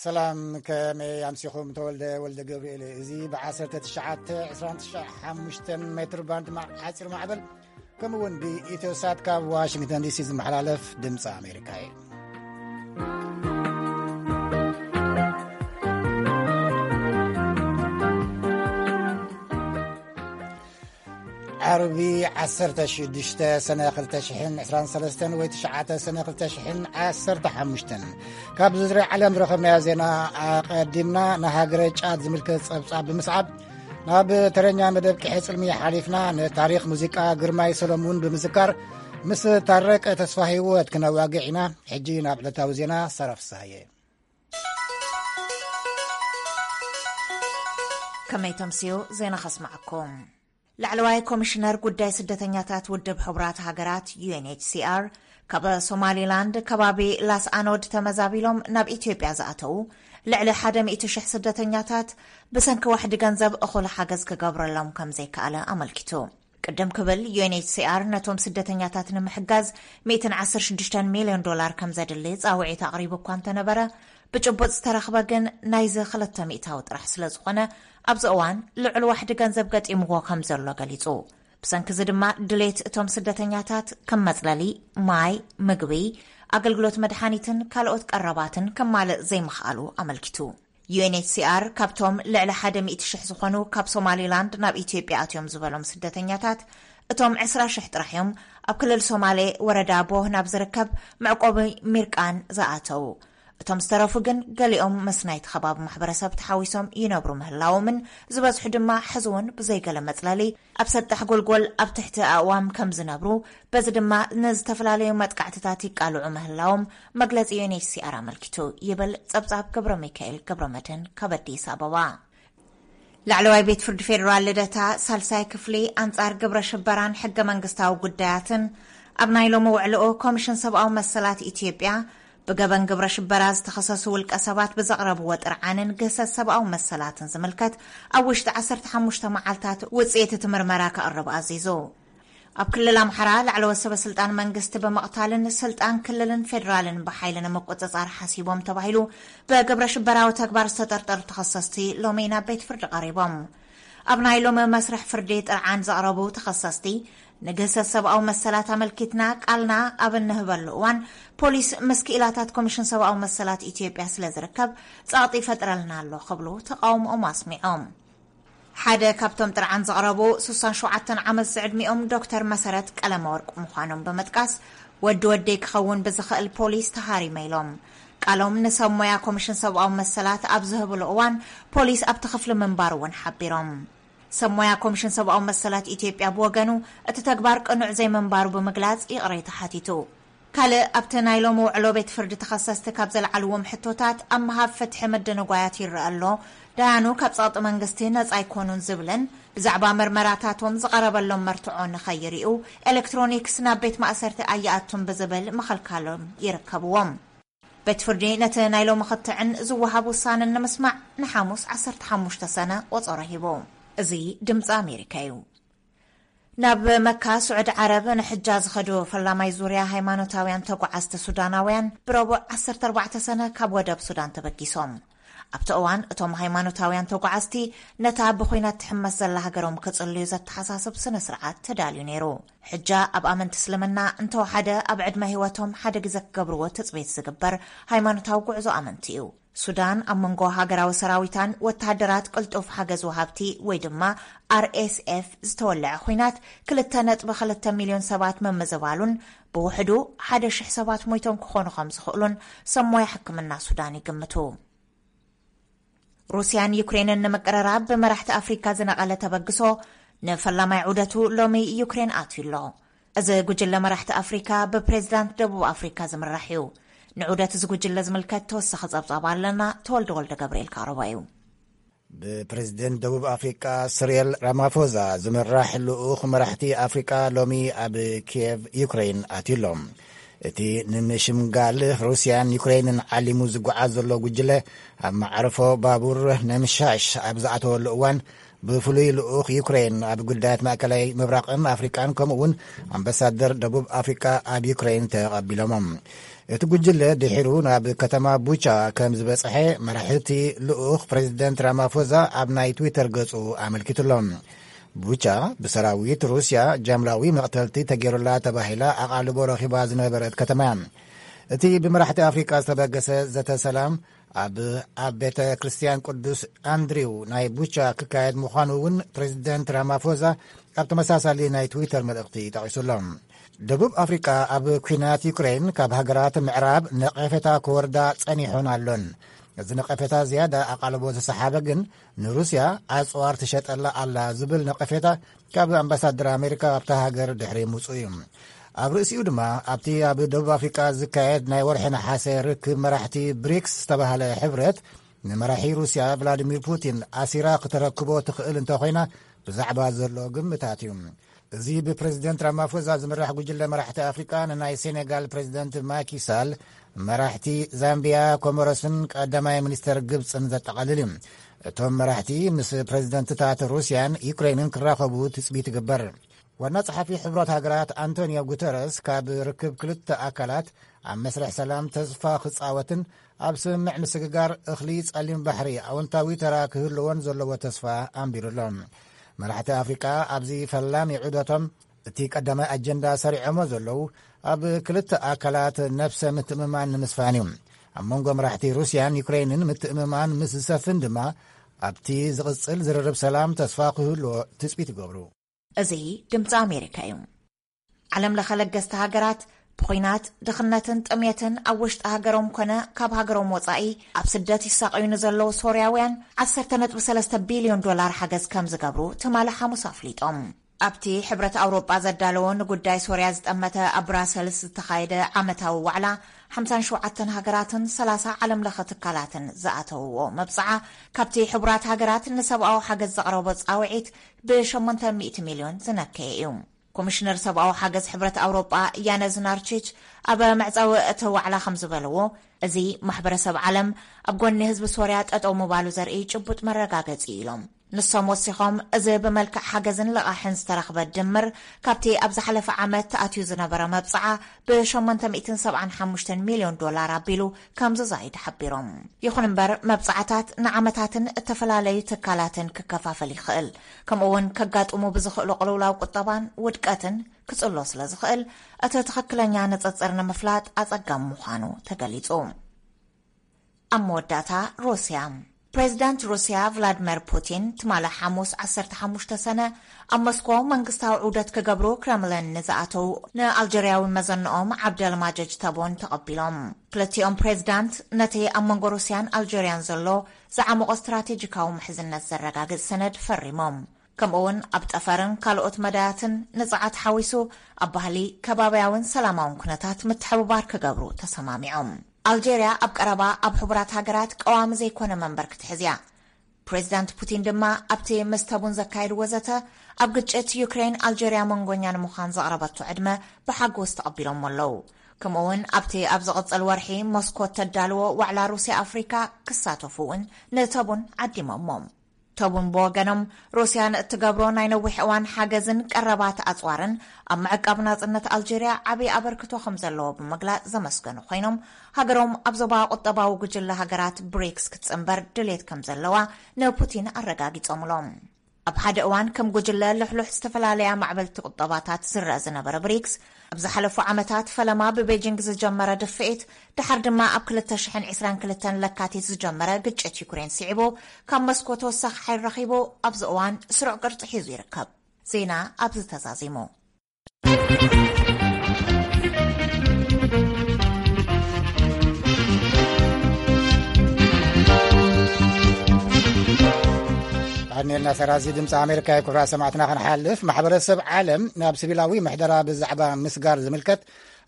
ሰላም፣ ከመይ ኣምሲኹም? ተወልደ ወልደ ገብርኤል። እዚ ብ1925 ሜትር ባንድ ማ-፣ ሓፂር ማዕበል፣ ከምኡ እውን ብኢትዮ ሳት ካብ ዋሽንግተን ዲሲ ዝመሓላለፍ ድምፂ ኣሜሪካ እዩ። ዓርቢ፣ 16 ሰነ 2023 ወይ 9 ሰነ 2015። ካብ ዝርዝር ዓለም ዝረኸብናዮ ዜና ኣቐዲምና፣ ንሃገረ ጫድ ዝምልከት ጸብጻብ ብምስዓብ፣ ናብ ተረኛ መደብ ቅሒ ጽልሚ ሓሊፍና፣ ንታሪኽ ሙዚቃ ግርማይ ሰሎሙን ብምዝካር፣ ምስ ታረቀ ተስፋ ህይወት ክነዋግዕ ኢና። ሕጂ ናብ ዕለታዊ ዜና፣ ሳራ ፍስሃየ። ከመይ ተምስዩ ዜና ከስምዓኩም። ላዕለዋይ ኮሚሽነር ጉዳይ ስደተኛታት ውድብ ሕቡራት ሃገራት፣ ዩ ኤን ኤች ሲ ኣር፣ ካብ ሶማሊላንድ ከባቢ ላስ ኣኖድ ተመዛቢሎም ናብ ኢትዮጵያ ዝኣተዉ ልዕሊ ሓደ ሚእቲ ሽሕ ስደተኛታት፣ ብሰንኪ ዋሕዲ ገንዘብ እኹል ሓገዝ ክገብረሎም ከም ዘይከኣለ ኣመልኪቱ። ቅድም ክብል፣ ዩ ኤን ኤች ሲ ኣር ነቶም ስደተኛታት ንምሕጋዝ ሚእትን ዓሰርተ ሽዱሽተን ሚልዮን ዶላር ከም ዘድሊ ጻውዒት ኣቕሪቡ እኳ እንተነበረ፣ ብጭቡጥ ዝተረኽበ ግን ናይዚ ክልተ ሚእታዊ ጥራሕ ስለ ዝኾነ፣ ኣብዚ እዋን ልዑል ዋሕዲ ገንዘብ ገጢምዎ ከም ዘሎ ገሊጹ። ብሰንኪ እዚ ድማ፣ ድሌት እቶም ስደተኛታት ከም መጽለሊ፣ ማይ፣ ምግቢ፣ ኣገልግሎት መድሓኒትን ካልኦት ቀረባትን ከማልእ ዘይምኽኣሉ ኣመልኪቱ። ዩ ኤን ኤች ሲ ኣር ካብቶም ልዕሊ ሓደ ሚእቲ ሽሕ ዝኾኑ ካብ ሶማሊላንድ ናብ ኢትዮጵያ ኣትዮም ዝበሎም ስደተኛታት፣ እቶም ዕስራ ሽሕ ጥራሕ እዮም ኣብ ክልል ሶማሌ ወረዳ ቦህ ናብ ዝርከብ መዕቆቢ ሚርቃን ዝኣተዉ። እቶም ዝተረፉ ግን፣ ገሊኦም ምስ ናይቲ ከባቢ ማሕበረሰብ ተሓዊሶም ይነብሩ ምህላዎምን፣ ዝበዝሑ ድማ ሕዚ እውን ብዘይገለ መጽለሊ ኣብ ሰጣሕ ጎልጎል ኣብ ትሕቲ ኣእዋም ከም ዝነብሩ፣ በዚ ድማ ንዝተፈላለዩ መጥቃዕትታት ይቃልዑ ምህላዎም መግለጺ ዩ ኤን ኤች ሲ ኣር ኣመልኪቱ፣ ይብል ጸብጻብ ገብረ ሚካኤል ገብረ መድህን ካብ ኣዲስ ኣበባ። ላዕለዋይ ቤት ፍርዲ ፌዴራል ልደታ፣ ሳልሳይ ክፍሊ ኣንጻር ግብረ ሽበራን ሕገ መንግስታዊ ጉዳያትን፣ ኣብ ናይ ሎሚ ውዕልኡ፣ ኮሚሽን ሰብኣዊ መሰላት ኢትዮጵያ ብገበን ግብረ ሽበራ ዝተኸሰሱ ውልቀ ሰባት ብዘቕረብዎ ጥርዓንን ግህሰት ሰብኣዊ መሰላትን ዝምልከት ኣብ ውሽጢ ዓሰርተ ሓሙሽተ መዓልታት ውጽኢት እቲ ምርመራ ከቕርብ ኣዚዙ። ኣብ ክልል ኣምሓራ፣ ላዕለዎት ሰበ ስልጣን መንግስቲ ብምቕታልን ስልጣን ክልልን ፌዴራልን ብሓይሊ ንምቁጽጻር ሓሲቦም ተባሂሉ ብግብረ ሽበራዊ ተግባር ዝተጠርጠሩ ተኸሰስቲ ሎሚ ናብ ቤት ፍርዲ ቀሪቦም። ኣብ ናይ ሎሚ መስርሕ ፍርዲ ጥርዓን ዘቕረቡ ተኸሰስቲ፣ ንግህሰት ሰብኣዊ መሰላት ኣመልኪትና ቃልና ኣብ እንህበሉ እዋን፣ ፖሊስ ምስ ክኢላታት ኮሚሽን ሰብኣዊ መሰላት ኢትዮጵያ ስለ ዝርከብ፣ ጸቕጢ ይፈጥረልና ኣሎ ክብሉ ተቓውሞኦም ኣስሚዖም። ሓደ ካብቶም ጥርዓን ዘቕረቡ፣ ስሳን ሸውዓተን ዓመት ዝዕድሚኦም ዶክተር መሰረት ቀለመወርቅ ምዃኖም ብምጥቃስ፣ ወዲ ወደይ ክኸውን ብዝኽእል ፖሊስ ተሃሪመ ኢሎም። ቃሎም ንሰብ ሞያ ኮሚሽን ሰብኣዊ መሰላት ኣብ ዝህብሉ እዋን፣ ፖሊስ ኣብቲ ክፍሊ ምንባሩ እውን ሓቢሮም። ሰብ ሞያ ኮሚሽን ሰብኣዊ መሰላት ኢትዮጵያ ብወገኑ፣ እቲ ተግባር ቅኑዕ ዘይምንባሩ ብምግላጽ፣ ይቕሬታ ሓቲቱ። ካልእ ኣብቲ ናይ ሎሚ ውዕሎ ቤት ፍርዲ፣ ተኸሰስቲ ካብ ዘልዓልዎም ሕቶታት ኣብ ምሃብ ፍትሒ ምድንጓያት ይረአ ኣሎ፣ ዳያኑ ካብ ጸቕጢ መንግስቲ ነጻ ኣይኮኑን ዝብልን፣ ብዛዕባ መርመራታቶም ዝቐረበሎም መርትዖ ንኸይርእዩ፣ ኤሌክትሮኒክስ ናብ ቤት ማእሰርቲ ኣይኣቱን ብዝብል ምኽልካሎም ይርከብዎም። ቤት ፍርዲ ነቲ ናይ ሎሚ ክትዕን ዝወሃብ ውሳነን ንምስማዕ፣ ንሓሙስ ዓሰርተ ሓሙሽተ ሰነ ቆጸሮ ሂቡ። እዚ ድምጺ ኣሜሪካ እዩ። ናብ መካ ስዑዲ ዓረብ ንሕጃ ዝኸዱ ፈላማይ ዙርያ ሃይማኖታውያን ተጓዓዝቲ ሱዳናውያን፣ ብረቡዕ ዓሰርተ ኣርባዕተ ሰነ ካብ ወደብ ሱዳን ተበጊሶም። ኣብቲ እዋን፣ እቶም ሃይማኖታውያን ተጓዓዝቲ ነታ ብኹናት ትሕመስ ዘላ ሃገሮም ክጽልዩ ዘተሓሳስብ ስነ ስርዓት ተዳልዩ ነይሩ። ሕጃ ኣብ ኣመንቲ እስልምና እንተወሓደ ኣብ ዕድመ ህይወቶም ሓደ ግዜ ክገብርዎ ትጽቢት ዝግበር ሃይማኖታዊ ጉዕዞ ኣመንቲ እዩ። ሱዳን፣ ኣብ መንጎ ሃገራዊ ሰራዊታን ወተሃደራት ቅልጡፍ ሓገዝ ወሃብቲ ወይ ድማ ኣር ኤስ ኤፍ ዝተወለዐ ኹናት፣ ክልተ ነጥቢ ክልተ ሚልዮን ሰባት ምምዝባሉን፣ ብውሕዱ ሓደ ሽሕ ሰባት ሞይቶም ክኾኑ ከም ዝኽእሉን ሰብ ሞያ ሕክምና ሱዳን ይግምቱ። ሩስያን ዩክሬንን ንምቅርራብ ብመራሕቲ ኣፍሪካ ዝነቐለ ተበግሶ፣ ንፈላማይ ዑደቱ ሎሚ ዩክሬን ኣትዩ ኣሎ። እዚ ጉጅለ መራሕቲ ኣፍሪካ ብፕሬዚዳንት ደቡብ ኣፍሪካ ዝምራሕ እዩ። ንዑደት እዚ ጉጅለ ዝምልከት ተወሳኺ ጸብጻብ ኣለና፣ ተወልደ ወልደ ገብርኤል ካረባ እዩ። ብፕሬዚደንት ደቡብ ኣፍሪቃ ስሪል ራማፎዛ ዝምራሕ ልኡኽ መራሕቲ ኣፍሪቃ ሎሚ ኣብ ኪየቭ፣ ዩክሬን ኣትዩ ኣሎ። እቲ ንምሽምጋል ሩስያን ዩክሬንን ዓሊሙ ዝጓዓዝ ዘሎ ጉጅለ፣ ኣብ መዓርፎ ባቡር ነምሻሽ ኣብ ዝኣተወሉ እዋን፣ ብፍሉይ ልኡኽ ዩክሬን ኣብ ጉዳያት ማእከላይ ምብራቕን ኣፍሪቃን፣ ከምኡ እውን ኣምባሳደር ደቡብ ኣፍሪቃ ኣብ ዩክሬን ተቐቢሎሞም። እቲ ጉጅለ ድሒሩ ናብ ከተማ ቡቻ ከም ዝበጽሐ መራሒ እቲ ልኡኽ ፕሬዚደንት ራማፎዛ ኣብ ናይ ትዊተር ገጹ ኣመልኪቱሎ። ቡቻ ብሰራዊት ሩስያ ጃምላዊ መቕተልቲ ተገይሩላ ተባሂላ ኣቓልቦ ረኺባ ዝነበረት ከተማ እያ። እቲ ብመራሕቲ ኣፍሪቃ ዝተበገሰ ዘተ ሰላም ኣብ ኣብ ቤተ ክርስቲያን ቅዱስ ኣንድሪው ናይ ቡቻ ክካየድ ምዃኑ እውን ፕሬዚደንት ራማፎዛ ኣብ ተመሳሳሊ ናይ ትዊተር መልእኽቲ ጠቒሱሎ። ደቡብ ኣፍሪቃ ኣብ ኲናት ዩክሬን ካብ ሃገራት ምዕራብ ነቐፌታ ክወርዳ ጸኒሑን ኣሎን። እዚ ነቐፌታ ዝያዳ ኣቓልቦ ዝሰሓበ ግን ንሩስያ ኣጽዋር ትሸጠላ ኣላ ዝብል ነቐፌታ ካብ ኣምባሳደር ኣሜሪካ ኣብታ ሃገር ድሕሪ ምውጽኡ እዩ። ኣብ ርእሲኡ ድማ ኣብቲ ኣብ ደቡብ ኣፍሪቃ ዝካየድ ናይ ወርሒ ነሓሰ ርክብ መራሕቲ ብሪክስ ዝተባህለ ሕብረት ንመራሒ ሩስያ ቭላዲሚር ፑቲን ኣሲራ ክተረክቦ ትኽእል እንተኾይና ብዛዕባ ዘሎ ግምታት እዩ። እዚ ብፕሬዚደንት ራማፎዛ ዝምራሕ ጉጅለ መራሕቲ ኣፍሪቃ ንናይ ሴኔጋል ፕሬዚደንት ማኪሳል፣ መራሕቲ ዛምቢያ፣ ኮሞሮስን ቀዳማይ ሚኒስተር ግብጽን ዘጠቓልል እዩ። እቶም መራሕቲ ምስ ፕሬዚደንትታት ሩስያን ዩክሬንን ክራኸቡ ትጽቢት ይግበር። ዋና ጸሓፊ ሕቡራት ሃገራት ኣንቶኒዮ ጉተረስ ካብ ርክብ ክልተ ኣካላት ኣብ መስርሕ ሰላም ተስፋ ክጻወትን ኣብ ስምምዕ ምስግጋር እኽሊ ጸሊም ባሕሪ ኣወንታዊ ተራ ክህልዎን ዘለዎ ተስፋ ኣንቢሩ ኣሎ። መራሕቲ ኣፍሪቃ ኣብዚ ፈላሚ ዑደቶም እቲ ቀዳማይ ኣጀንዳ ሰሪዖሞ ዘለዉ ኣብ ክልተ ኣካላት ነብሰ ምትእምማን ንምስፋን እዩ። ኣብ መንጎ መራሕቲ ሩስያን ዩክሬንን ምትእምማን ምስ ዝሰፍን ድማ ኣብቲ ዝቕጽል ዝርርብ ሰላም ተስፋ ክህልዎ ትጽቢት ይገብሩ። እዚ ድምፂ ኣሜሪካ እዩ። ዓለም ለኸ ለገስቲ ሃገራት ብኹናት፣ ድኽነትን ጥሜትን ኣብ ውሽጢ ሃገሮም ኮነ ካብ ሃገሮም ወፃኢ ኣብ ስደት ይሳቐዩ ንዘለዉ ሶርያውያን ዓሰርተ ነጥቢ ሰለስተ ቢልዮን ዶላር ሓገዝ ከም ዝገብሩ ትማሊ ሓሙስ ኣፍሊጦም። ኣብቲ ሕብረት ኣውሮጳ ዘዳለዎ ንጉዳይ ሶርያ ዝጠመተ ኣብ ብራሰልስ ዝተኻየደ ዓመታዊ ዋዕላ ሓምሳን ሸውዓተን ሃገራትን ሰላሳ ዓለም ለኸ ትካላትን ዝኣተውዎ መብፅዓ፣ ካብቲ ሕቡራት ሃገራት ንሰብኣዊ ሓገዝ ዘቕረቦ ፃውዒት ብሸሞንተ ሚእቲ ሚልዮን ዝነከየ እዩ። ኮሚሽነር ሰብኣዊ ሓገዝ ሕብረት ኣውሮጳ ያነዝ ናርቺች ኣብ መዕፀዊ እቲ ዋዕላ ከም ዝበለዎ፣ እዚ ማሕበረሰብ ዓለም ኣብ ጎኒ ህዝቢ ሶርያ ጠጠው ምባሉ ዘርኢ ጭቡጥ መረጋገፂ እዩ ኢሎም። ንሶም ወሲኾም፣ እዚ ብመልክዕ ሓገዝን ልቓሕን ዝተረኽበ ድምር ካብቲ ኣብ ዝሓለፈ ዓመት ተኣትዩ ዝነበረ መብፅዓ ብ ሸሞንተ ሚእትን ሰብዓን ሓሙሽተን ሚልዮን ዶላር ኣቢሉ ከም ዝዛይድ ሓቢሮም። ይኹን እምበር፣ መብፅዓታት ንዓመታትን እተፈላለዩ ትካላትን ክከፋፈል ይኽእል። ከምኡ እውን ከጋጥሙ ብዝኽእሉ ቅልውላው ቁጠባን ውድቀትን ክጽሎ ስለ ዝኽእል፣ እቲ ትኽክለኛ ንጽጽር ንምፍላጥ ኣጸጋሚ ምዃኑ ተገሊጹ። ኣብ መወዳእታ፣ ሩስያ። ፕሬዚዳንት ሩስያ ቭላድመር ፑቲን ትማሊ ሓሙስ ዓሰርተ ሓሙሽተ ሰነ ኣብ ሞስኮ መንግስታዊ ዑደት ክገብሩ ክረምለን ንዝኣተው ንኣልጀርያዊ መዘንኦም ዓብደልማጀጅ ተቦን ተቐቢሎም። ክልቲኦም ፕሬዚዳንት ነቲ ኣብ መንጎ ሩስያን ኣልጀርያን ዘሎ ዝዓመቖ ስትራቴጂካዊ ምሕዝነት ዘረጋግጽ ሰነድ ፈሪሞም። ከምኡ እውን ኣብ ጠፈርን ካልኦት መዳያትን ንጽዓት ሓዊሱ ኣብ ባህሊ፣ ከባብያውን ሰላማውን ኩነታት ምትሕብባር ክገብሩ ተሰማሚዖም። ኣልጀርያ ኣብ ቀረባ ኣብ ሕቡራት ሃገራት ቀዋሚ ዘይኮነ መንበር ክትሕዝ እያ። ፕሬዚዳንት ፑቲን ድማ ኣብቲ ምስ ተቡን ዘካየድዎ ዘተ ኣብ ግጭት ዩክሬን ኣልጀርያ መንጎኛ ንምዃን ዘቕረበቶ ዕድመ ብሓጎስ ተቐቢሎሞ ኣለዉ። ከምኡ እውን ኣብቲ ኣብ ዝቕጽል ወርሒ ሞስኮ ተዳልዎ ዋዕላ ሩስያ ኣፍሪካ ክሳተፉ እውን ንተቡን ዓዲሞሞም። ተቡን ብወገኖም፣ ሩስያ ንእትገብሮ ናይ ነዊሕ እዋን ሓገዝን ቀረባት ኣጽዋርን ኣብ ምዕቃብ ናጽነት ኣልጀርያ ዓቢ ኣበርክቶ ከም ዘለዎ ብምግላጽ ዘመስገኑ ኮይኖም፣ ሃገሮም ኣብ ዞባ ቁጠባዊ ጉጅለ ሃገራት ብሪክስ ክትጽንበር ድሌት ከም ዘለዋ ንፑቲን ኣረጋጊጾምሎም። ኣብ ሓደ እዋን ከም ጉጅለ ልሕሉሕ ዝተፈላለያ ማዕበልቲ ቁጠባታት ዝረአ ዝነበረ ብሪክስ፣ ኣብ ዝሓለፉ ዓመታት ፈለማ ብቤጂንግ ዝጀመረ ድፍኢት፣ ድሓር ድማ ኣብ ክልተ ሽሕን ዕስራን ክልተን ለካቲት ዝጀመረ ግጭት ዩክሬን ስዒቡ፣ ካብ መስኮ ተወሳኺ ሓይል ረኺቡ፣ ኣብዚ እዋን ስሩዕ ቅርጺ ሒዙ ይርከብ። ዜና ኣብዚ ተዛዚሙ። ኣድኔልና ሰራዚ ድምፂ ኣሜሪካ እዩ። ክብራ ሰማዕትና ክንሓልፍ፣ ማሕበረሰብ ዓለም ናብ ሲቪላዊ ምሕደራ ብዛዕባ ምስጋር ዝምልከት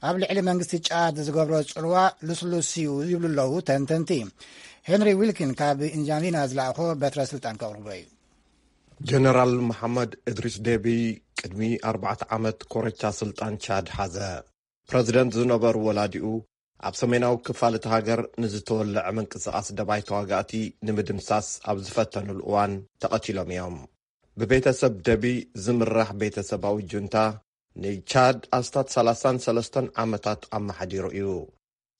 ኣብ ልዕሊ መንግስቲ ጫድ ዝገብሮ ጽልዋ ልስሉስ እዩ ይብሉ ኣለዉ ተንተንቲ። ሄንሪ ዊልኪን ካብ ኢንጃኒና ዝለኣኾ በትረ ስልጣን ከቕርቦ እዩ። ጀነራል መሓመድ እድሪስ ዴቢ ቅድሚ ኣርባዕተ ዓመት ኮረቻ ስልጣን ቻድ ሓዘ። ፕረዚደንት ዝነበሩ ወላዲኡ ኣብ ሰሜናዊ ክፋል እቲ ሃገር ንዝተወለዐ ምንቅስቓስ ደባይ ተዋጋእቲ ንምድምሳስ ኣብ ዝፈተኑሉ እዋን ተቐቲሎም እዮም። ብቤተሰብ ደቢ ዝምራሕ ቤተሰባዊ ጁንታ ንቻድ ኣስታት ሰላሳን ሰለስተን ዓመታት ኣመሓዲሩ እዩ።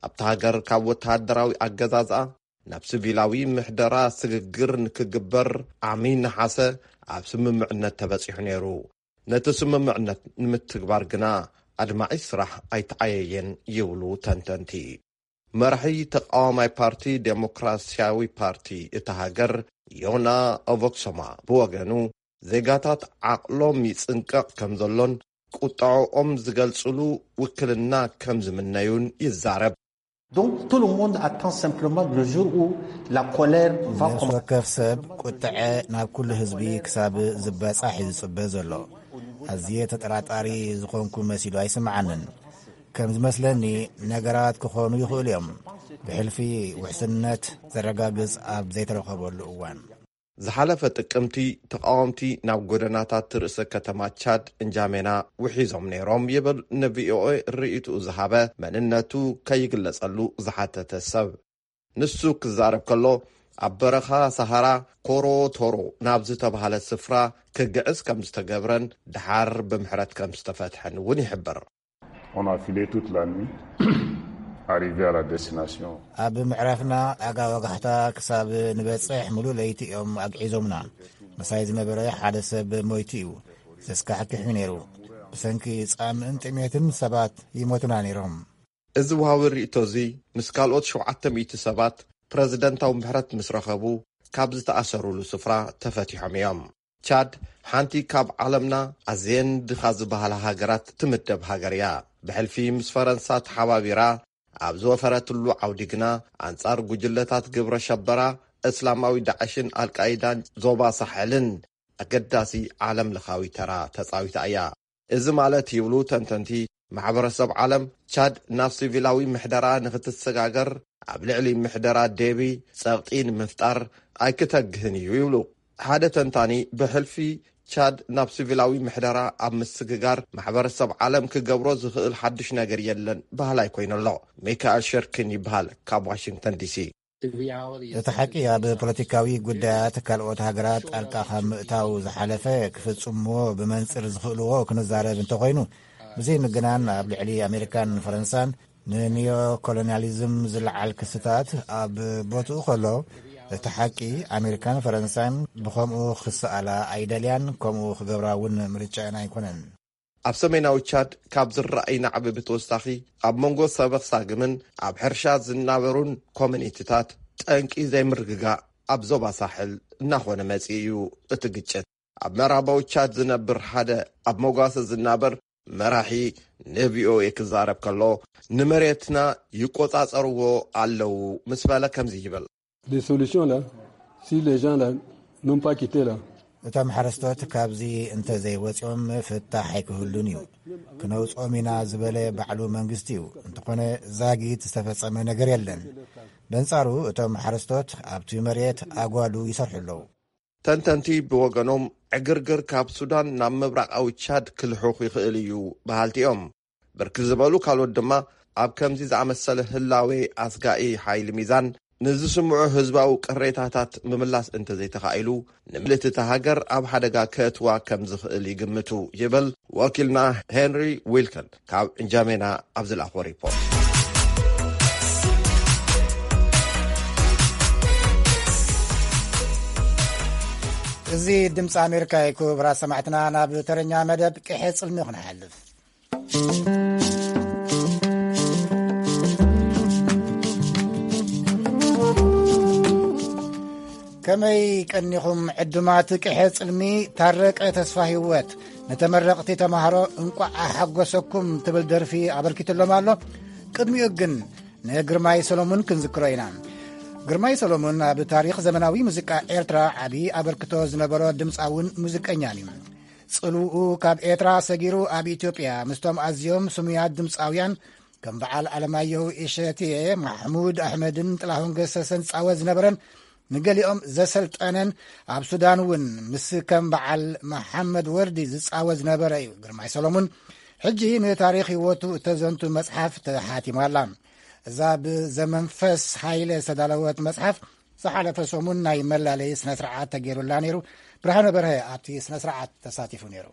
ኣብታ ሃገር ካብ ወተሃደራዊ ኣገዛዝኣ ናብ ሲቪላዊ ምሕደራ ስግግር ንክግበር ዓሚ ነሓሰ ኣብ ስምምዕነት ተበጺሑ ነይሩ። ነቲ ስምምዕነት ንምትግባር ግና ኣድማዒ ስራሕ ኣይተዓየየን ይብሉ ተንተንቲ። መራሒ ተቃዋማይ ፓርቲ ዴሞክራሲያዊ ፓርቲ እታ ሃገር ዮና ኦቮክሶማ ብወገኑ ዜጋታት ዓቕሎም ይጽንቀቕ ከም ዘሎን ቁጠዐኦም ዝገልጽሉ ውክልና ከም ዝምነዩን ይዛረብ። Donc tout le monde attend simplement le jour où la colère va ነፍሲ commencer. ወከፍ ሰብ ቁጥዐ ናብ ኩሉ ህዝቢ ክሳብ ዝበጻሕ እዩ ዝጽበ ዘሎ። ኣዝየ ተጠራጣሪ ዝኾንኩ መሲሉ ኣይስምዓንን። ከም ዝመስለኒ ነገራት ክኾኑ ይኽእሉ እዮም፣ ብሕልፊ ውሕስነት ዘረጋግጽ ኣብ ዘይተረኸበሉ እዋን። ዝሓለፈ ጥቅምቲ ተቃወምቲ ናብ ጎደናታት ርእሰ ከተማ ቻድ እንጃሜና ውሒዞም ነይሮም ይብል ንቪኦኤ ርእይትኡ ዝሃበ መንነቱ ከይግለጸሉ ዝሓተተ ሰብ። ንሱ ክዛረብ ከሎ ኣብ በረኻ ሰሃራ ኮሮ ቶሮ ናብ ዝተባህለ ስፍራ ክግዕዝ ከም ዝተገብረን ደሓር ብምሕረት ከም ዝተፈትሐን እውን ይሕብር። On a filé toute la nuit, arrivé à la destination. ኣብ ምዕራፍና ኣጋ ወጋሕታ ክሳብ ንበጽሕ ሙሉእ ለይቲ እዮም ኣግዒዞምና። ምሳይ ዝነበረ ሓደ ሰብ ሞይቱ እዩ። ዘስካሕክሕ እዩ ነይሩ። ብሰንኪ ጻምእን ጥሜትን ሰባት ይሞቱና ነይሮም። እዚ ወሃቢ ርእይቶ እዚ ምስ ካልኦት ሸውዓተ ሚእቲ ሰባት ፕረዚደንታዊ ምሕረት ምስ ረኸቡ ካብ ዝተኣሰሩሉ ስፍራ ተፈቲሖም እዮም። ቻድ ሓንቲ ካብ ዓለምና ኣዝየን ድኻ ዝበሃላ ሃገራት ትምደብ ሃገር እያ። ብሕልፊ ምስ ፈረንሳ ተሓባቢራ ኣብ ዝወፈረትሉ ዓውዲ ግና ኣንጻር ጉጅለታት ግብረ ሸበራ እስላማዊ ዳዕሽን ኣልቃይዳን ዞባ ሳሕልን ኣገዳሲ ዓለም ለኻዊ ተራ ተጻዊታ እያ። እዚ ማለት ይብሉ ተንተንቲ ማሕበረሰብ ዓለም ቻድ ናብ ሲቪላዊ ምሕደራ ንክትሰጋገር ኣብ ልዕሊ ምሕደራ ዴቢ ጸቕጢ ንምፍጣር ኣይክተግህን እዩ ይብሉ። ሓደ ተንታኒ ብሕልፊ ቻድ ናብ ሲቪላዊ ምሕደራ ኣብ ምስግጋር ማሕበረሰብ ዓለም ክገብሮ ዝኽእል ሓድሽ ነገር የለን በሃላይ ኮይኑ ኣሎ። ሚካኤል ሸርኪን ይበሃል ካብ ዋሽንግተን ዲሲ። እቲ ሓቂ ኣብ ፖለቲካዊ ጉዳያት ካልኦት ሃገራት ጣልቃ ካብ ምእታው ዝሓለፈ ክፍጽምዎ ብመንጽር ዝኽእልዎ ክንዛረብ እንተኾይኑ፣ ብዘይ ምግናን ኣብ ልዕሊ ኣሜሪካን ፈረንሳን ንኒዮ ኮሎኒያሊዝም ዝለዓል ክስታት ኣብ ቦትኡ ከሎ፣ እቲ ሓቂ ኣሜሪካን ፈረንሳን ብኸምኡ ክሰኣላ ኣይደልያን፣ ከምኡ ክገብራ እውን ምርጫ ኣይኮነን። ኣብ ሰሜናዊ ቻድ ካብ ዝረኣይ ናዕቢ ብተወሳኺ ኣብ መንጎ ሰበኽ ሳግምን ኣብ ሕርሻ ዝናበሩን ኮሚኒቲታት ጠንቂ ዘይምርግጋእ ኣብ ዞባ ሳሕል እናኾነ መጺኡ እዩ። እቲ ግጭት ኣብ ምዕራባዊ ቻድ ዝነብር ሓደ ኣብ መጓሰ ዝናበር መራሒ ንቪኦኤ ክዛረብ ከሎ ንመሬትና ይቆጻጸርዎ ኣለዉ ምስ በለ ከምዚ ይብል። Des solutions là, si les gens là n'ont pas quitté là, እቶም ሓረስቶት ካብዚ እንተዘይወፂኦም ፍታሕ ኣይክህሉን እዩ። ክነውፅኦም ኢና ዝበለ ባዕሉ መንግስቲ እዩ። እንተኾነ ዛጊት ዝተፈፀመ ነገር የለን። በንፃሩ እቶም ሓረስቶት ኣብቲ መሬት ኣጓዱ ይሰርሑ ኣለዉ። ተንተንቲ ብወገኖም ዕግርግር ካብ ሱዳን ናብ ምብራቓዊ ቻድ ክልሑኽ ይኽእል እዩ በሃልቲ እዮም። ብርክት ዝበሉ ካልኦት ድማ ኣብ ከምዚ ዝኣመሰለ ህላዌ ኣስጋኢ ሓይሊ ሚዛን ንዝስምዑ ህዝባዊ ቅሬታታት ምምላስ እንተዘይተኻኢሉ ንምልእቲ እታ ሃገር ኣብ ሓደጋ ከእትዋ ከም ዝኽእል ይግምቱ ይብል ወኪልና ሄንሪ ዊልከን ካብ እንጃሜና ኣብ ዝለኣኾ ሪፖርት። እዚ ድምፂ ኣሜሪካ እዩ። ክቡራት ሰማዕትና ናብ ተረኛ መደብ ቅሐ ፅልሚ ክንሓልፍ። ከመይ ቀኒኹም ዕዱማት ቅሐ ፅልሚ? ታረቀ ተስፋ ህይወት ንተመረቕቲ ተማሃሮ እንቋዕ ኣሓጎሰኩም ትብል ደርፊ ኣበርኪትሎም ኣሎ። ቅድሚኡ ግን ንግርማይ ሰሎሙን ክንዝክሮ ኢና። ግርማይ ሰሎሙን ኣብ ታሪኽ ዘመናዊ ሙዚቃ ኤርትራ ዓቢ ኣበርክቶ ዝነበሮ ድምፃውን ሙዚቀኛን እዩ። ጽልውኡ ካብ ኤርትራ ሰጊሩ ኣብ ኢትዮጵያ ምስቶም ኣዝዮም ስሙያት ድምፃውያን ከም በዓል ኣለማየሁ እሸቴ፣ ማሕሙድ ኣሕመድን ጥላሁን ገሰሰን ዝጻወት ዝነበረን ንገሊኦም ዘሰልጠነን ኣብ ሱዳን እውን ምስ ከም በዓል መሓመድ ወርዲ ዝጻወት ዝነበረ እዩ ግርማይ ሰሎሙን። ሕጂ ንታሪኽ ህይወቱ እተዘንቱ መጽሓፍ ተሓቲማ ኣላ። እዛ ብዘመንፈስ ሃይለ ዝተዳለወት መጽሓፍ ዝሓለፈ ሰሙን ናይ መላለዪ ስነ ስርዓት ተገይሩላ ነይሩ። ብርሃነ በርሀ ኣብቲ ስነ ስርዓት ተሳቲፉ ነይሩ።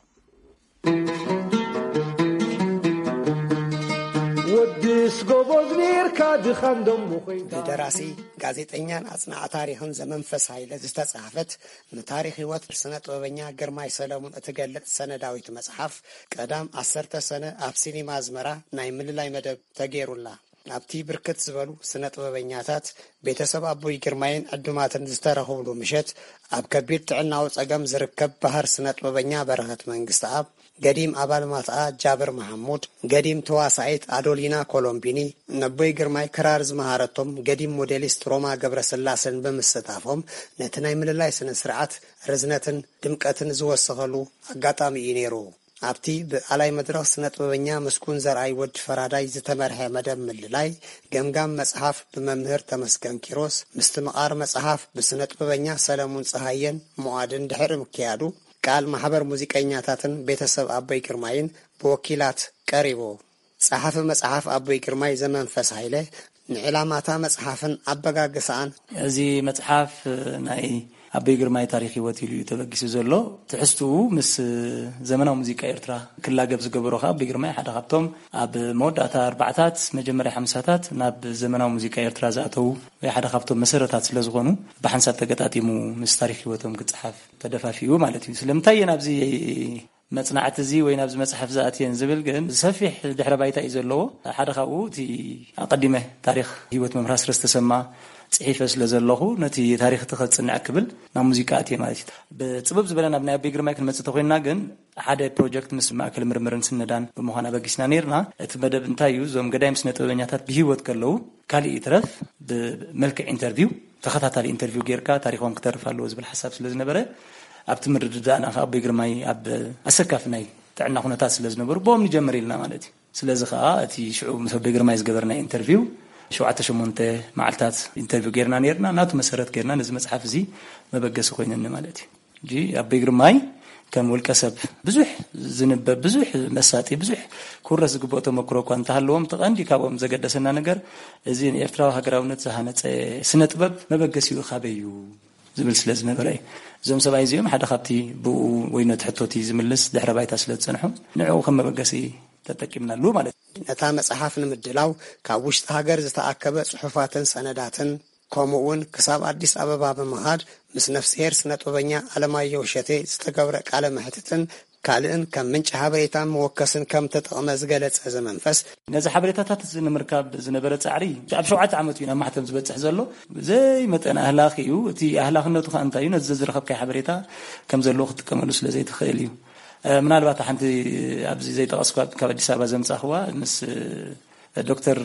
ወድስ ጎቦዝ ኔርካ ድኻን ደሞ ኮይንካ። ብደራሲ ጋዜጠኛን ኣጽናዕ ታሪኽን ዘመንፈስ ሃይለ ዝተጻሕፈት ንታሪኽ ህይወት ስነ ጥበበኛ ግርማይ ሰለሙን እትገልጽ ሰነዳዊት መጽሓፍ ቀዳም ዓሰርተ ሰነ ኣብ ሲኒማ ኣዝመራ ናይ ምልላይ መደብ ተገይሩላ። ኣብቲ ብርክት ዝበሉ ስነ ጥበበኛታት፣ ቤተሰብ ኣቦይ ግርማይን ዕዱማትን ዝተረኽብሉ ምሸት፣ ኣብ ከቢድ ጥዕናዊ ጸገም ዝርከብ ባህር ስነ ጥበበኛ በረኸት መንግስተኣብ፣ ገዲም ኣባል ማትኣ ጃብር መሓሙድ፣ ገዲም ተዋሳኢት ኣዶሊና ኮሎምቢኒ፣ ነቦይ ግርማይ ክራር ዝመሃረቶም ገዲም ሞዴሊስት ሮማ ገብረስላሰን ብምስታፎም፣ ነቲ ናይ ምልላይ ስነ ስርዓት ርዝነትን ድምቀትን ዝወሰኸሉ ኣጋጣሚ እዩ ነይሩ። ኣብቲ ብኣላይ መድረኽ ስነ ጥበበኛ ምስጉን ዘርኣይ ወዲ ፈራዳይ ዝተመርሐ መደብ ምልላይ፣ ገምጋም መጽሓፍ ብመምህር ተመስገን ኪሮስ፣ ምስትምቓር መጽሓፍ ብስነ ጥበበኛ ሰለሙን ጸሃየን ሙዓድን ድሕሪ ምክያዱ፣ ቃል ማሕበር ሙዚቀኛታትን ቤተሰብ ኣቦይ ግርማይን ብወኪላት ቀሪቡ። ጸሓፊ መጽሓፍ ኣቦይ ግርማይ ዘመንፈስ ሃይለ፣ ንዕላማታ መጽሓፍን ኣበጋግሳኣን። እዚ መጽሓፍ ናይ ኣቦይ ግርማይ ታሪኽ ህይወት ኢሉ እዩ ተበጊሱ ዘሎ። ትሕዝትኡ ምስ ዘመናዊ ሙዚቃ ኤርትራ ክላገብ ዝገበሮ ከኣ ኣቦይ ግርማይ ሓደ ካብቶም ኣብ መወዳእታ ኣርባዓታት መጀመርያ ሓምሳታት ናብ ዘመናዊ ሙዚቃ ኤርትራ ዝኣተዉ ወይ ሓደ ካብቶም መሰረታት ስለ ዝኾኑ ብሓንሳብ ተገጣጢሙ ምስ ታሪኽ ህይወቶም ክጸሓፍ ተደፋፊኡ ማለት እዩ። ስለምንታይ እየን ኣብዚ መጽናዕቲ እዚ ወይ ናብዚ መጽሓፍ ዝኣትየን ዝብል ግን ሰፊሕ ድሕረ ባይታ እዩ ዘለዎ። ሓደ ካብኡ እቲ ኣቐዲመ ታሪኽ ህይወት መምህር ኣስረስ ተሰማ ጽሒፈ ስለ ዘለኹ ነቲ ታሪኽ እቲ ከጽንዕ ክብል ናብ ሙዚቃ ኣትየ ማለት እዩ። ብጽብብ ዝበለ ናብ ናይ ኣቦይ ግርማይ ክንመጽእ ተኾይንና ግን ሓደ ፕሮጀክት ምስ ማእከል ምርምርን ስነዳን ብምዃን ኣበጊስና ነይርና። እቲ መደብ እንታይ እዩ? እዞም ገዳይም ስነ ጥበበኛታት ብህይወት ከለዉ ካልእ ይትረፍ ብመልክዕ ኢንተርቪው ተኸታታሊ ኢንተርቪው ጌርካ ታሪኾም ክተርፍ ኣለዎ ዝብል ሓሳብ ስለ ዝነበረ ኣብቲ ምርድዳእና ከኣ ኣቦይ ግርማይ ኣብ ኣሰካፊ ናይ ጥዕና ኩነታት ስለ ዝነበሩ ብኦም ንጀምር ኢልና ማለት እዩ። ስለዚ ከኣ እቲ ሽዑ ምስ ኣቦይ ግርማይ ዝገበርና ኢንተርቪው ሸውዓተ ሸሞንተ መዓልታት ኢንተርቪው ጌርና ነይርና። ናቱ መሰረት ጌርና ነዚ መጽሓፍ እዚ መበገሲ ኮይነኒ ማለት እዩ። ሕጂ ኣቦይ ግርማይ ከም ውልቀ ሰብ ብዙሕ ዝንበብ ብዙሕ መሳጢ ብዙሕ ክውረስ ዝግብኦ ተመክሮ እኳ እንተሃለዎም እቲ ቀንዲ ካብኦም ዘገደሰና ነገር እዚ ንኤርትራዊ ሃገራውነት ዝሃነጸ ስነ ጥበብ መበገሲኡ ካበይ እዩ ዝብል ስለ ዝነበረ እዩ። እዞም ሰብኣይ እዚኦም ሓደ ካብቲ ብኡ ወይ ነቲ ሕቶቲ ዝምልስ ድሕረ ባይታ ስለ ዝጸንሑ ንዕኡ ከም መበገሲ ተጠቂምናሉ ማለት እዩ። ነታ መጽሓፍ ንምድላው ካብ ውሽጢ ሃገር ዝተኣከበ ጽሑፋትን ሰነዳትን ከምኡ እውን ክሳብ ኣዲስ ኣበባ ብምኻድ ምስ ነፍስሄር ስነ ጥበበኛ ኣለማየሁ እሸቴ ዝተገብረ ቃለ መሕትትን ካልእን ከም ምንጪ ሓበሬታን መወከስን ከም ተጠቕመ ዝገለጸ እዚ መንፈስ፣ ነዚ ሓበሬታታት እዚ ንምርካብ ዝነበረ ጻዕሪ ኣብ ሸውዓተ ዓመት እዩ ናብ ማሕተም ዝበጽሕ ዘሎ። ብዘይ መጠን ኣህላኺ እዩ። እቲ ኣህላኽነቱ ከኣ እንታይ እዩ? ነዚ ዝረኸብካዮ ሓበሬታ ከም ዘለዎ ክትጥቀመሉ ስለ ዘይትኽእል እዩ። ምናልባት ሓንቲ ኣብዚ ዘይጠቐስኳ ካብ ኣዲስ ኣበባ ዘምጻእኽዋ ምስ ዶክተር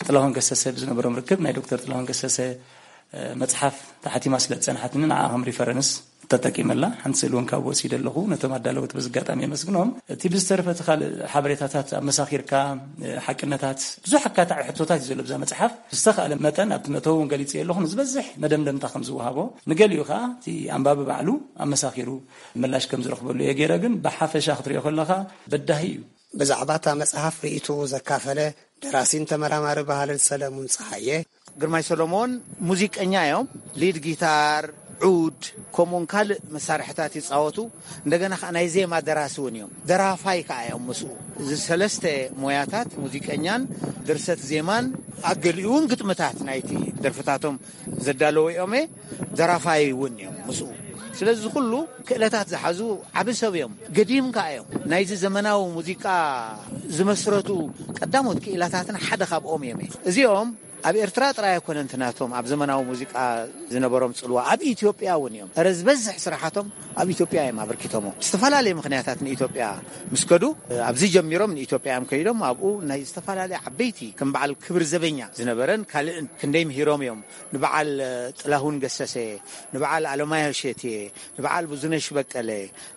ጥላሁን ገሰሰ ብዝነበሮም ርክብ ናይ ዶክተር ጥላሁን ገሰሰ መጽሓፍ ተሓቲማ ስለ ዝጸንሓትኒ ንዓ ከም ሪፈረንስ ተጠቂመላ። ሓንቲ ስእሊ እውን ካብ ወሲደ ኣለኹ። ነቶም ኣዳለውቲ በዚ ኣጋጣሚ የመስግኖም። እቲ ብዝተረፈ እቲ ካልእ ሓበሬታታት ኣመሳኺርካ ሓቅነታት ብዙሕ ኣካታዒ ሕቶታት እዩ ዘሎ ብዛ መጽሓፍ። ብዝተኻእለ መጠን ኣብቲ መእተዊ እውን ገሊጸ ኣለኹ። ንዝበዝሕ መደምደምታ ከም ዝወሃቦ፣ ንገሊኡ ከኣ እቲ ኣንባቢ ባዕሉ ኣመሳኺሩ ምላሽ ከም ዝረኽበሉ እየ ገይረ። ግን ብሓፈሻ ክትሪኦ ከለኻ በዳሂ እዩ። ብዛዕባ እታ መጽሓፍ ርእይትኡ ዘካፈለ ደራሲን ተመራማሪ ባህልን ሰለሙን ጸሃየ፣ ግርማይ ሰሎሞን ሙዚቀኛ እዮም። ሊድ ጊታር፣ ዑድ፣ ከምኡውን ካልእ መሳርሕታት ይጻወቱ። እንደገና ከኣ ናይ ዜማ ደራሲ እውን እዮም። ደራፋይ ከኣ እዮም ምስኡ። እዚ ሰለስተ ሞያታት፣ ሙዚቀኛን ድርሰት ዜማን፣ ኣገሊኡ እውን ግጥምታት ናይቲ ደርፍታቶም ዘዳለዎ እዮም። ደራፋይ እውን እዮም ምስኡ። ስለዚ ኩሉ ክእለታት ዝሓዙ ዓቢ ሰብ እዮም። ገዲም ከኣ እዮም ናይዚ ዘመናዊ ሙዚቃ ዝመስረቱ ቀዳሞት ክኢላታትን ሓደ ካብኦም እዮም። እዚኦም ኣብ ኤርትራ ጥራይ ኣይኮነን እቲ ናቶም ኣብ ዘመናዊ ሙዚቃ ዝነበሮም ጽልዋ፣ ኣብ ኢትዮጵያ እውን እዮም። እረ ዝበዝሕ ስራሓቶም ኣብ ኢትዮጵያ እዮም ኣበርኪቶሞ። ዝተፈላለየ ምኽንያታት ንኢትዮጵያ ምስ ከዱ ኣብዚ ጀሚሮም ንኢትዮጵያ እዮም ከይዶም ኣብኡ ናይ ዝተፈላለየ ዓበይቲ ከም በዓል ክብር ዘበኛ ዝነበረን ካልእን ክንደይ ምሂሮም እዮም። ንበዓል ጥላሁን ገሰሰ፣ ንበዓል ኣለማየሁ እሸቴ፣ ንበዓል ብዙነሽ በቀለ፣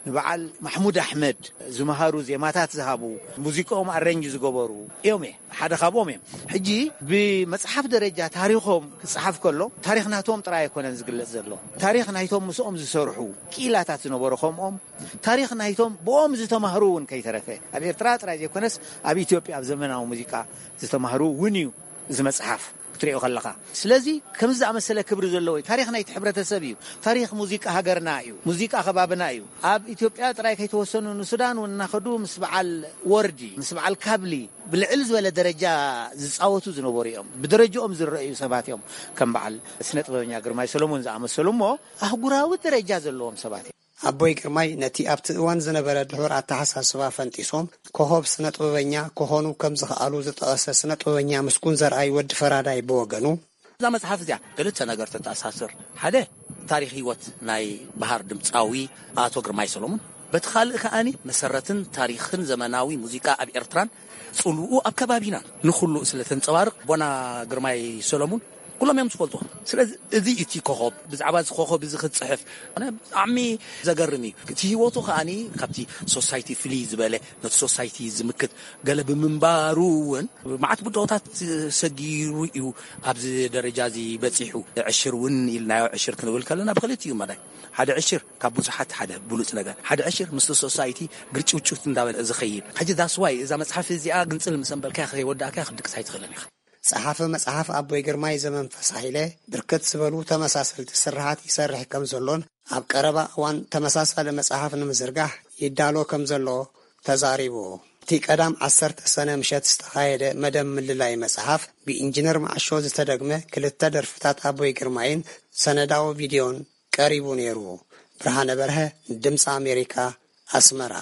ንበዓል ማሕሙድ ኣሕመድ ዝመሃሩ ዜማታት ዝሃቡ፣ ሙዚቃኦም ኣረንጅ ዝገበሩ እዮም። ሓደ ካብኦም እዮም። ሕጂ ብመጽሓፍ ደረጃ ታሪኾም ክጸሓፍ ከሎ ታሪኽ ናቶም ጥራይ ኣይኮነን ዝግለጽ ዘሎ። ታሪኽ ናይቶም ምስኦም ዝሰርሑ ክኢላታት ዝነበሩ ከምኦም ታሪኽ ናይቶም ብኦም ዝተማህሩ እውን ከይተረፈ ኣብ ኤርትራ ጥራይ ዘይኮነስ ኣብ ኢትዮጵያ ኣብ ዘመናዊ ሙዚቃ ዝተማህሩ እውን እዩ እዚ መጽሓፍ። ትሪኦ ከለኻ። ስለዚ ከምዚ ዝኣመሰለ ክብሪ ዘለዎ እዩ። ታሪኽ ናይቲ ሕብረተሰብ እዩ። ታሪኽ ሙዚቃ ሃገርና እዩ። ሙዚቃ ከባብና እዩ። ኣብ ኢትዮጵያ ጥራይ ከይተወሰኑ ንሱዳን እውን እናኸዱ ምስ በዓል ወርዲ፣ ምስ በዓል ካብሊ ብልዕል ዝበለ ደረጃ ዝጻወቱ ዝነበሩ እዮም። ብደረጃኦም ዝረኣዩ ሰባት እዮም። ከም በዓል ስነ ጥበበኛ ግርማይ ሰሎሞን ዝኣመሰሉ እሞ ኣህጉራዊ ደረጃ ዘለዎም ሰባት እዮም። ኣቦይ ግርማይ ነቲ ኣብቲ እዋን ዝነበረ ድሑር ኣተሓሳስባ ፈንጢሶም ኮኾብ ስነ ጥበበኛ ክኾኑ ከም ዝኸኣሉ ዝጠቐሰ ስነ ጥበበኛ ምስጉን ዘርኣይ ወዲ ፈራዳይ ብወገኑ፣ እዛ መጽሓፍ እዚኣ ክልተ ነገር ተተኣሳስር። ሓደ፣ ታሪኽ ህይወት ናይ በሃር ድምጻዊ ኣቶ ግርማይ ሰሎሞን፣ በቲ ካልእ ከኣኒ መሰረትን ታሪኽን ዘመናዊ ሙዚቃ ኣብ ኤርትራን ጽልውኡ ኣብ ከባቢናን ንኹሉ ስለ ተንጸባርቕ፣ ቦና ግርማይ ሰሎሞን ኩሎም እዮም ዝፈልጡ። ስለዚ እዚ እቲ ኮኾብ፣ ብዛዕባ እዚ ኮኾብ እዚ ክትጽሕፍ፣ ኣነ ብጣዕሚ ዘገርም እዩ። እቲ ህይወቱ ከኣኒ ካብቲ ሶሳይቲ ፍልይ ዝበለ፣ ነቲ ሶሳይቲ ዝምክት ገለ ብምንባሩ እውን፣ መዓት ብድሆታት ሰጊሩ እዩ ኣብዚ ደረጃ እዚ በጺሑ። ዕሽር እውን ኢልናዮ፣ ዕሽር ክንብል ከለና ብክልቲኡ መዳይ። ሓደ ዕሽር ካብ ብዙሓት ሓደ ብሉጽ ነገር። ሓደ ዕሽር ምስቲ ሶሳይቲ ግርጭውጭውት እንዳበለ ዝኸይድ። ሕጂ that's why እዛ መጽሓፍ እዚኣ ግንጽል ምስ ኣንበልካያ ከይወዳእካያ ክትድቅስ ኣይትኽእልን ኢኻ። ጸሓፊ መጽሓፍ ኣቦይ ግርማይ ዘመንፈስ ሃይለ ብርክት ዝበሉ ተመሳሰልቲ ስርሓት ይሰርሕ ከም ዘሎን ኣብ ቀረባ እዋን ተመሳሳሊ መጽሓፍ ንምዝርጋሕ ይዳሎ ከም ዘሎ ተዛሪቡ። እቲ ቀዳም ዓሰርተ ሰነ ምሸት ዝተኻየደ መደብ ምልላይ መጽሓፍ ብኢንጂነር መዓሾ ዝተደግመ ክልተ ደርፍታት ኣቦይ ግርማይን ሰነዳዊ ቪድዮን ቀሪቡ ነይሩ። ብርሃነ በርሀ፣ ድምፂ ኣሜሪካ፣ ኣስመራ።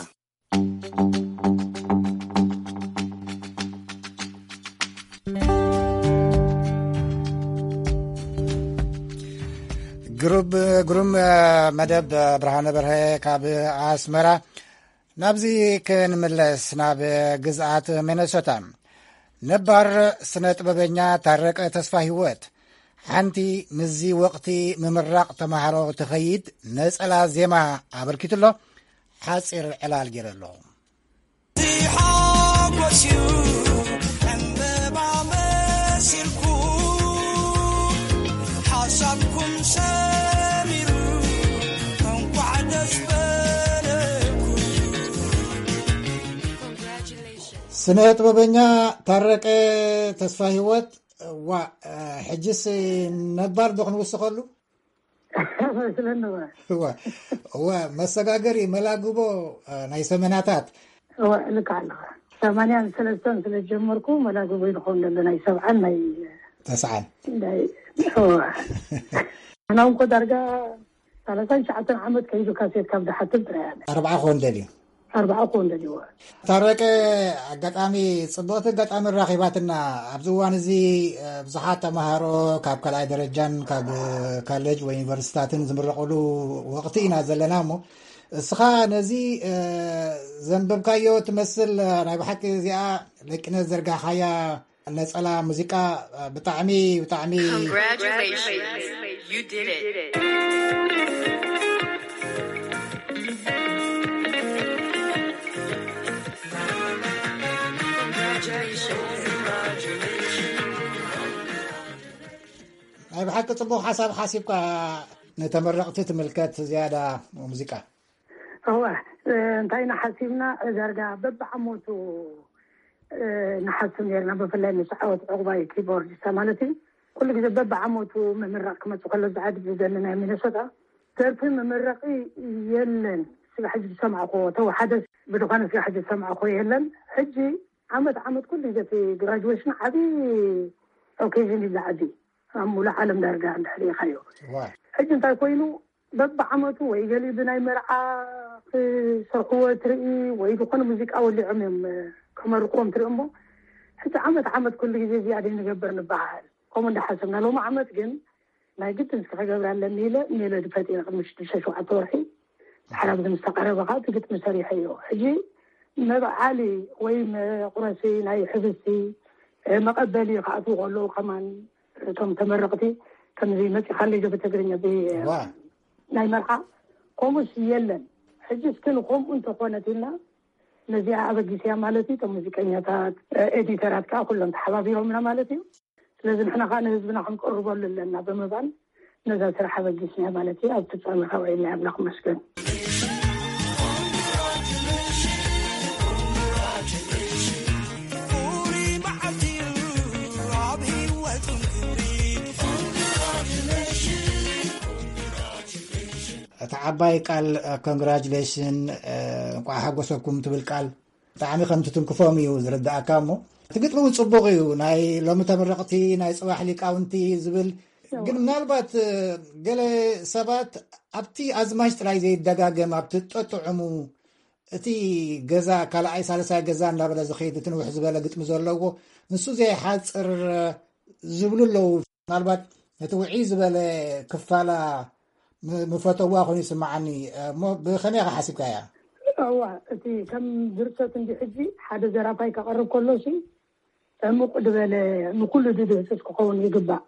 ግሩብ-፣ ግሩም፣ እ፣ መደብ፣ እ፣ ብርሃነ በርሀ ካብ ኣስመራ። ናብዚ ክንምለስ፣ ናብ ግዝኣት ሚነሶታ። ነባር ስነ ጥበበኛ ታረቀ ተስፋ ህይወት፣ ሓንቲ ምስዚ ወቕቲ ምምራቕ ተማሃሮ ትኸይድ ነጸላ ዜማ ኣበርኪቱ ኣሎ። ሓጺር ዕላል ገይረ ኣሎ። ሓጎስ እዩ ዕምበባ መሲልኩ፣ ሓሳብኩም ሰሚሩ፣ እንኳዕ ደስ በለኩም። ስነ ጥበበኛ ታረቀ ተስፋ ህይወት፣ ዋ፣ ሕጅስ ነባር ዶ ክንውስኸሉ? መስለኒ እወ። እወ፣ እወ፣ መሰጋገሪ መላግቦ፣ እ፣ ናይ ሰመናታት። እወ፣ ልክዕ ኣለኻ። ሰማንያን ሰለስተን ስለ ዝጀመርኩ መላግቦ ይኸውን ዘሎ ናይ ሰብዓን ናይ ተስዓን። ናይ፣ እወ። ኣና እንኮ ዳርጋ ሰላሳን ትሽዓተን ዓመት ከይዱ ካሴት ካብ ዝሓትም ጥራይ ኣነ። ኣርብዓ ክኾን ደልዩ። ኣርብዓ ክኾን ደልዩ። ታረቀ፣ ኣጋጣሚ፣ ጽብቕቲ ኣጋጣሚ ራኺባትና። ኣብዚ እዋን እዚ፣ እ፣ ብዙሓት ተምሃሮ ካብ ካልኣይ ደረጃን ካብ፣ እ፣ ካሌጅ ወይ ዩኒቨርሲታትን ዝምረቑሉ ወቕቲ ኢና ዘለና እሞ፣ እስኻ ነዚ፣ እ፣ ዘንበብካዮ ትመስል፣ እ፣ ናይ ብሓቂ እዚኣ ለቂነት ዘርጋሕካያ ነጸላ ሙዚቃ፣ እ፣ ብጣዕሚ፣ ብጣዕሚ Congratulations. You did it. ናይ ብሓቂ ጽቡቕ ሓሳብ ሓሲብካ፣ ንተመረቕቲ ትምልከት ዝያዳ ሙዚቃ። እወ፣ እ፣ እንታይ ኢና ሓሲብና፣ ዳርጋ በብዓመቱ፣ እ፣ ንሓስብ ነርና፣ ብፍላይ ምስ ዓወት ዕቑባይ ኪቦርዲስታ ማለት እዩ። ኩሉ ግዜ በብዓመቱ ምምራቕ ክመጽእ ከሎ ዝዓድግ ዝደሊ ናይ ሚነሶታ ደርፊ መመረቒ የለን። ስጋብ ሕጂ ዝሰማዕኩዎ፣ ተወሓደ ብድኾነ ስጋብ ሕጂ ዝሰማዕኩዎ የለን። ሕጂ ዓመት ዓመት ኩሉ ግዜ እቲ ግራጁዌሽን ዓብዪ ኦኬዥን እዩ ዝዓቢ ኣብ ሙሉእ ዓለም ዳርጋ እንድሕር ርኢኻዮ። ዋ። ሕጂ እንታይ ኮይኑ፣ በብዓመቱ ወይ ገሊኡ ብናይ መርዓ ክሰርሕዎ ትርኢ ወይ ዝኾነ ሙዚቃ ወሊዖም እዮም፣ እ፣ ከመርቕዎም ትርኢ እሞ፣ ሕጂ ዓመት ዓመት ኩሉ ግዜ እዚኣ ደይ ንገብር ንበሃል። ከምኡ እንዳሓሰብና፣ ሎሚ ዓመት ግን ናይ ግድን እስከ ክገብር ኣለኒ ኢለ ሜሎዲ ፈጢረ ቅድሚ ሽዱሽተ ሸውዓተ ወርሒ። ሓራብ ምስ ተቐረበ ከዓ እቲ ግጥሚ ሰሪሐዮ። ሕጂ መብዓሊ ወይ መቑረሲ ናይ ሕብስቲ፣ እ፣ መቐበሊ ክኣትዉ ከለዉ ከማን እቶም ተመረቕቲ ከምዚ መፂኻለይ ዶ ብትግርኛ ብ-፣ ዋ። ናይ መርዓ ከምኡስ የለን። ሕጂ እስኪ ንከምኡ እንተኾነት ኢልና ነዚኣ ኣበጊስያ ማለት እዩ። እቶም ሙዚቀኛታት፣ ኤዲተራት ከዓ ኩሎም ተሓባቢሮምና ማለት እዩ። ስለዚ ንሕና ከዓ ንህዝብና ክንቅርበሉ ኣለና ብምባል ነዛ ስራሕ ኣበጊስና ማለት እዩ። ኣብ ፍጻመ ካብ ዓይኒ ኣምላኽ መስገን። ፍሉይ መዓልቲ እዩ ኣብ ህይወት። እታ ዓባይ ቃል፣ ኮንግራጁሌሽን፣ እንቋዕ ሓጎሰኩም ትብል ቃል ብጣዕሚ ከም ትትንክፎም እዩ ዝርዳእካ። እሞ እቲ ግጥሚ እውን ጽቡቕ እዩ። ናይ ሎሚ ተመረቕቲ ናይ ጽባሕ ሊቃውንቲ ዝብል፣ ግን ምናልባት ገለ ሰባት ኣብቲ ኣዝማች ጥራይ ዘይደጋገም፣ ኣብቲ ጠጥዑሙ፣ እቲ ገዛ ካልኣይ ሳልሳይ ገዛ እንዳበለ ዝኸይድ፣ እቲ ንውሕ ዝበለ ግጥሚ ዘለዎ፣ ንሱ ዘይሓጽር ዝብሉ ኣለዉ። ምናልባት እቲ ውዒ ዝበለ ክፋላ ም- ምፈተዋ ኮይኑ ይስምዓኒ። እሞ ብኸመይ ኢኻ ሓሲብካያ? እዋ፣ እቲ ከም ድርሰት እንዲ ሕጂ ሓደ ዘራፋይ ከቐርብ ከሎ ሲ ዕሙቕ ዝበለ፣ ንኩሉ ድድህስስ ክኸውን ይግባእ።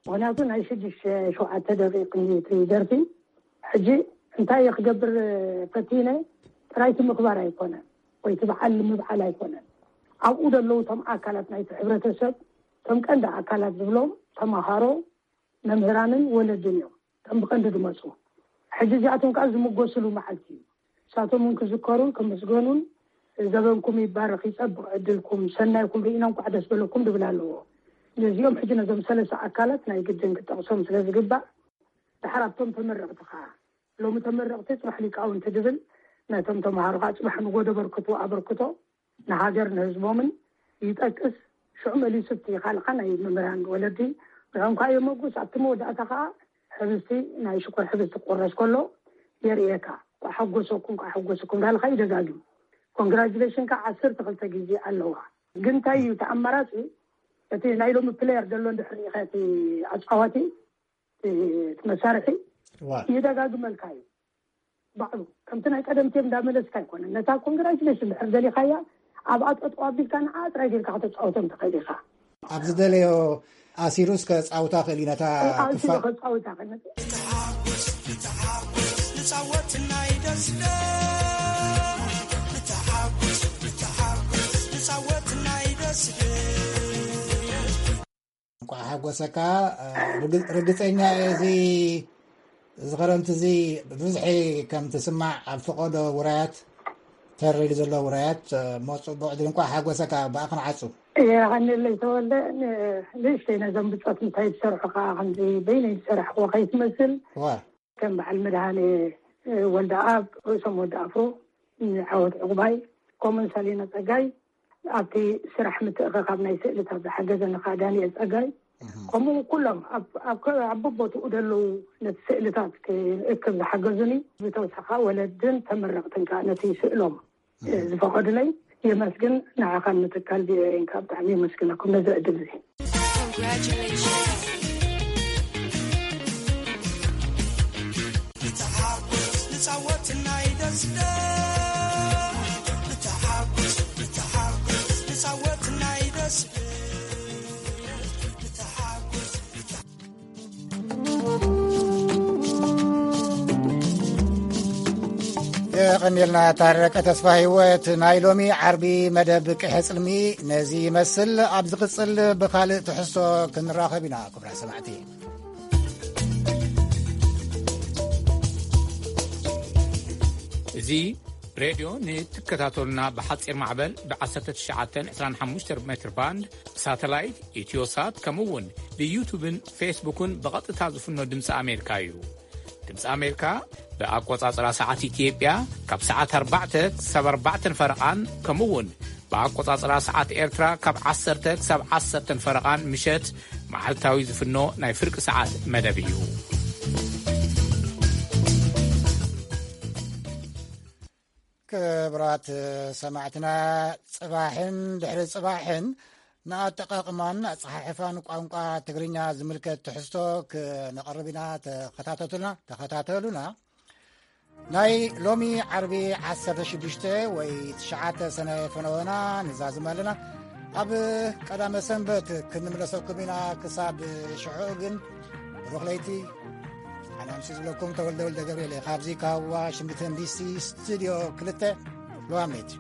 ምኽንያቱ ናይ ሽዱሽተ ሸውዓተ ደቂቕ እንዲ እቲ ደርፊ። ሕጂ እንታይ እየ ክገብር ፈቲነ? ጥራይ እቲ ምኽባር ኣይኮነን፣ ወይ እቲ በዓል ምብዓል ኣይኮነን። ኣብኡ ዘለዉ እቶም ኣካላት ናይቲ ሕብረተሰብ፣ እቶም ቀንዲ ኣካላት ዝብሎም ተምሃሮ፣ መምህራንን ወለድን እዮም እቶም ብቐንዲ ዝመፁ። ሕጂ እዚኣቶም ከዓ ዝምጎስሉ መዓልቲ እዩ። ንሳቶም እውን ክዝከሩን ክምስገኑን፣ ዘበንኩም ይባረኽ፣ ይፀብቕ ዕድልኩም፣ ሰናይኩም ርኢና እንኳዕ ደስ በለኩም ድብል ኣለዎ። ነዚኦም ሕጂ ነዞም ሰለስተ ኣካላት ናይ ግድን ክጠቕሶም ስለ ዝግባእ፣ ድሓር ኣብቶም ተመረቕቲ ከዓ፣ ሎሚ ተመረቕቲ ጽባሕ ሊቃውንቲ ድብል፣ ነቶም ተምሃሮ ከዓ ጽባሕ ንጎ ደበርክቱ ኣበርክቶ ንሃገር ንህዝቦምን ይጠቅስ። ሽዑ መሊሱ እቲ ካልኻ ናይ መምህራን ወለዲ ንዕኦም ከዓ የመጉስ። ኣብቲ መወዳእታ ከዓ ሕብስቲ፣ ናይ ሽኮር ሕብስቲ ክቁረስ ከሎ የርእየካ። ኳ ሓጎሰኩም፣ ኳ ሓጎሰኩም እንዳልካ ይደጋግም። ኮንግራጁሌሽን ከዓ ዓሰርተ ክልተ ግዜ ኣለዋ። ግን እንታይ እዩ እቲ ኣማራፂ? እቲ ናይ ሎሚ ፕሌየር ዘሎ እንድሕር ርኢኻ፣ እቲ ኣፃዋቲ፣ እቲ መሳርሒ ዋ ይደጋግመልካ እዩ ባዕሉ። ከምቲ ናይ ቀደም ቴም እንዳመለስካ ኣይኮነን። ነታ ኮንግራጁሌሽን ድሕር ደሊኻያ፣ ኣብኣ ጠጠው ኣቢልካ ንዓ ጥራይ ጌርካ ከተፃወቶም ትኽእል ኢኻ። ኣብ ዝደለዮ ኣሲሩስ ከፃውታ ክእል እዩ ነታ ኣሲሩ ክፋል። ከፃውታ ክእል። ንፃወት ናይ ደስደ ንተሓጎስ ንተሓጎስ ንፃወት ናይ ደስደ። እንቋዕ ሓጎሰካ። ርግ- ርግፀኛ እየ እዚ እዚ ክረምቲ እዚ ብብዝሒ ከም ትስማዕ ኣብ ፈቐዶ ውራያት፣ ተር ኢሉ ዘሎ ውራያት፣ እሞ ፅቡቕ ዕድል። እንቋዕ ሓጎሰካ። ብኣኽን ዓፁ። የቐንየለይ ተወልደ። ን- ንእሽተይ ነዞም ብፆት እንታይ ዝሰርሑ ከዓ ከምዚ በይነይ ዝሰራሕክዎ ከይትመስል። ዋ ከም በዓል መድሃኔ ወልደኣብ፣ ርእሶም ወዲ ኣፍሮ፣ ዓወት ዕቑባይ፣ ከምኡን ሰሊና ጸጋይ፣ ኣብቲ ስራሕ ምትእኽኻብ ናይ ስእልታት ዝሓገዘኒ ከኣ ዳንኤል ጸጋይ፣ ከምኡ ኩሎም ኣብ ኣብ ከ- ኣብ በቦትኡ ደለዉ ነቲ ስእልታት ክእክብ ዝሓገዙኒ፣ ብተወሳኺ ወለድን ተመረቕትን ከኣ ነቲ ስእሎም ዝፈቐዱለይ የመስግን። ንዓኻን ንትካል ቪኦኤን ከኣ ብጣዕሚ የመስግነኩም ነዚ ዕድል እዚ። ንተሓጎስ ንጻወት ናይ ደስደ ንተሓጎስ ንተሓጎስ ንጻወት ናይ ደስደ ንተሓጎስ ንተ- የቐንየልና ታረቀ ተስፋ ህይወት። ናይ ሎሚ ዓርቢ መደብ ቅሐ ጽልሚ ነዚ ይመስል። ኣብ ዝቕጽል ብኻልእ ትሕዝቶ ክንራኸብ ኢና ክቡራት ሰማዕቲ። እዚ ሬድዮ ንትከታተሉና ብሓጺር ማዕበል ብ19 25 ሜትር ባንድ ብሳተላይት ኢትዮሳት ከምኡ እውን ብዩቱብን ፌስቡክን ብቐጥታ ዝፍኖ ድምፂ ኣሜሪካ እዩ። ድምፂ ኣሜሪካ ብኣቆጻጽራ ሰዓት ኢትዮጵያ ካብ ሰዓት ኣርባዕተ ክሳብ ኣርባዕተን ፈረቓን ከምኡ እውን ብኣቆጻጽራ ሰዓት ኤርትራ ካብ ዓሰርተ ክሳብ ዓሰርተን ፈረቓን ምሸት መዓልታዊ ዝፍኖ ናይ ፍርቂ ሰዓት መደብ እዩ። ክብራት ሰማዕትና፣ ጽባሕን ድሕሪ ጽባሕን ንኣጠቓቕማን ኣጸሓሕፋን ቋንቋ ትግርኛ ዝምልከት ትሕዝቶ ክነቕርብ ኢና። ተኸታተሉና፣ ተኸታተሉና። ናይ ሎሚ ዓርቢ ዓሰርተ ሽዱሽተ ወይ ትሽዓተ ሰነ ፈነወና ንዛዝም ኣለና። ኣብ ቀዳመ ሰንበት ክንምለሰኩም ኢና። ክሳብ ሽዑ ግን ብሩኽ ለይቲ። ኣነ ኣምሲ ዝብለኩም ተወልደ ወልደ ገብርኤል እየ። ካብዚ ካብ ዋሽንግተን ዲሲ ስቱድዮ ክልተ ሎዋሜት።